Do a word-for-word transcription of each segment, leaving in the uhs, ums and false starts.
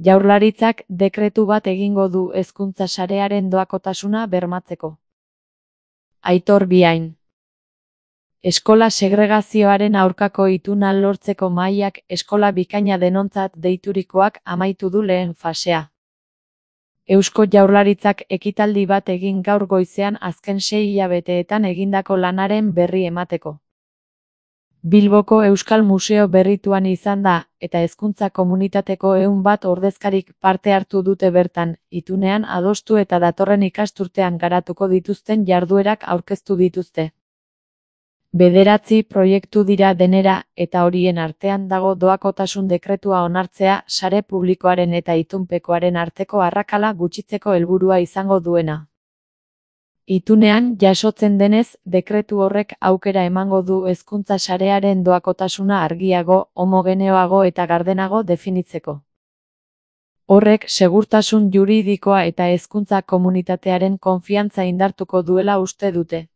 Jaurlaritzak dekretu bat egingo du hezkuntza sarearen doakotasuna bermatzeko. Aitor Biain. Eskola segregazioaren aurkako ituna lortzeko mahaiak eskola bikaina denontzat deiturikoak amaitu du lehen fasea. Eusko Jaurlaritzak ekitaldi bat egin gaur goizean azken sei hilabeteetan egindako lanaren berri emateko. Bilboko Euskal Museo berrituan izan da, eta hezkuntza komunitateko ehun bat ordezkarik parte hartu dute bertan, itunean adostu eta datorren ikasturtean garatuko dituzten jarduerak aurkeztu dituzte. Bederatzi proiektu dira denera, eta horien artean dago doakotasun dekretua onartzea sare publikoaren eta itunpekoaren arteko arrakala gutxitzeko helburua izango duena. Itunean jasotzen denez, dekretu horrek aukera emango du hezkuntza sarearen doakotasuna argiago, homogeneoago eta gardenago definitzeko. Horrek segurtasun juridikoa eta hezkuntza komunitatearen konfiantza indartuko duela uste dute.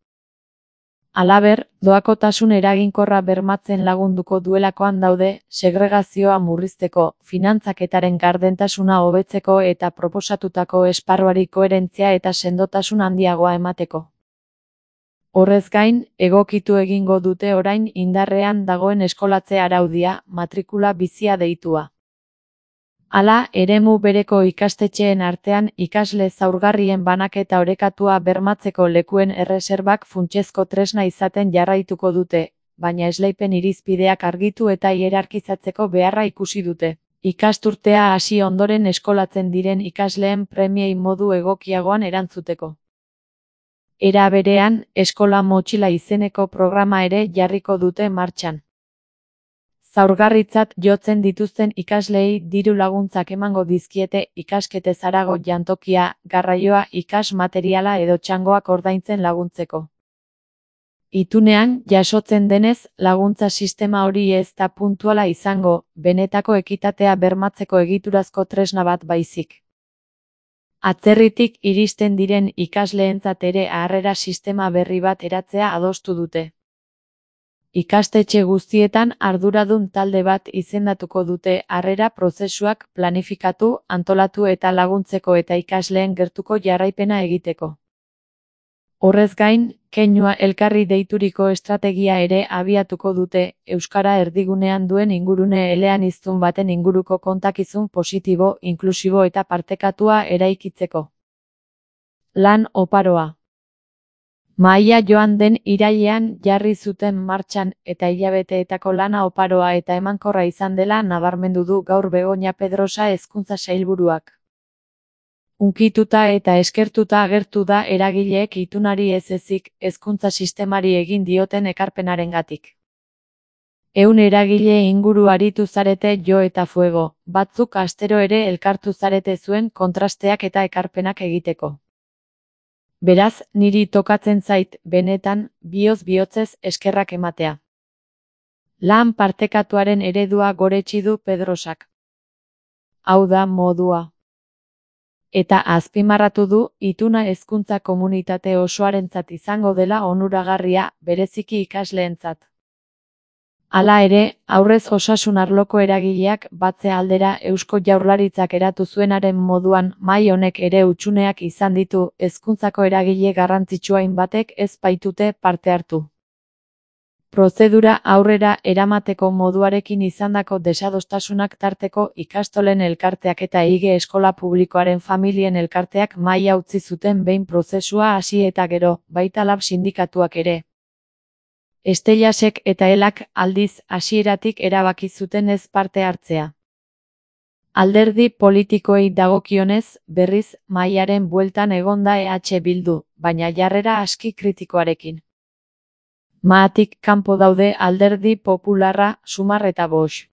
Halaber, doakotasun eraginkorra bermatzen lagunduko duelakoan daude, segregazioa murrizteko, finantzaketaren gardentasuna hobetzeko eta proposatutako esparruari koherentzia eta sendotasun handiagoa emateko. Horrez gain, egokitu egingo dute orain indarrean dagoen eskolatze araudia, matrikula bizia deitua. Hala, eremu bereko ikastetxeen artean ikasle zaurgarrien banaketa orekatua bermatzeko lekuen erreserbak funtsezko tresna izaten jarraituko dute, baina esleipen irizpideak argitu eta hierarkizatzeko beharra ikusi dute. Ikasturtea hasi ondoren eskolatzen diren ikasleen premiei modu egokiagoan erantzuteko. Era berean, eskola motxila izeneko programa ere jarriko dute martxan. Zaurgarritzat jotzen dituzten ikasleei diru laguntzak emango dizkiete ikasketez harago jantokia, garraioa, ikas materiala edo txangoak ordaintzen laguntzeko. Itunean, jasotzen denez, laguntza sistema hori ez da puntuala izango, benetako ekitatea bermatzeko egiturazko tresna bat baizik. Atzerritik iristen diren ikasleentzat ere harrera sistema berri bat eratzea adostu dute. Ikastetxe guztietan arduradun talde bat izendatuko dute harrera prozesuak planifikatu, antolatu eta laguntzeko eta ikasleen gertuko jarraipena egiteko. Horrez gain, keinua elkarri deituriko estrategia ere abiatuko dute, euskara erdigunean duen ingurune eleaniztun baten inguruko kontakizun positibo, inklusibo eta partekatua eraikitzeko. Lan oparoa. Mahaia joan den irailean jarri zuten martxan eta hilabeteetako lana oparoa eta emankorra izan dela nabarmendu du gaur Begoña Pedrosa hezkuntza sailburuak. Hunkituta eta eskertuta agertu da eragileek itunari ez ezik hezkuntza sistemari egin dioten ekarpenarengatik. Ehun eragile inguru aritu zarete jo eta fuego, batzuk astero ere elkartu zarete zuen kontrasteak eta ekarpenak egiteko. Beraz, niri tokatzen zait, benetan, bihotz bihotzez eskerrak ematea. Lan partekatuaren eredua goretsi du Pedrosak. Hau da modua. Eta azpimarratu du, ituna hezkuntza komunitate osoarentzat izango dela onuragarria, bereziki ikasleentzat. Hala ere, aurrez osasun arloko eragileak batze aldera Eusko Jaurlaritzak eratu zuenaren moduan mahai honek ere hutsuneak izan ditu, hezkuntzako eragile garrantzitsuain batek ez baitute parte hartu. Prozedura aurrera eramateko moduarekin izandako desadostasunak tarteko ikastolen elkarteak eta Ige eskola publikoaren familien elkarteak mahaia utzi zuten behin prozesua hasi eta gero, baita lab sindikatuak ere. Estelasek eta Elak aldiz hasieratik erabaki zuten ez parte hartzea. Alderdi politikoei dagokionez, berriz, mahaiaren bueltan egonda E H Bildu, baina jarrera aski kritikoarekin. Mahatik kanpo daude Alderdi Popularra, Sumar eta Bosch.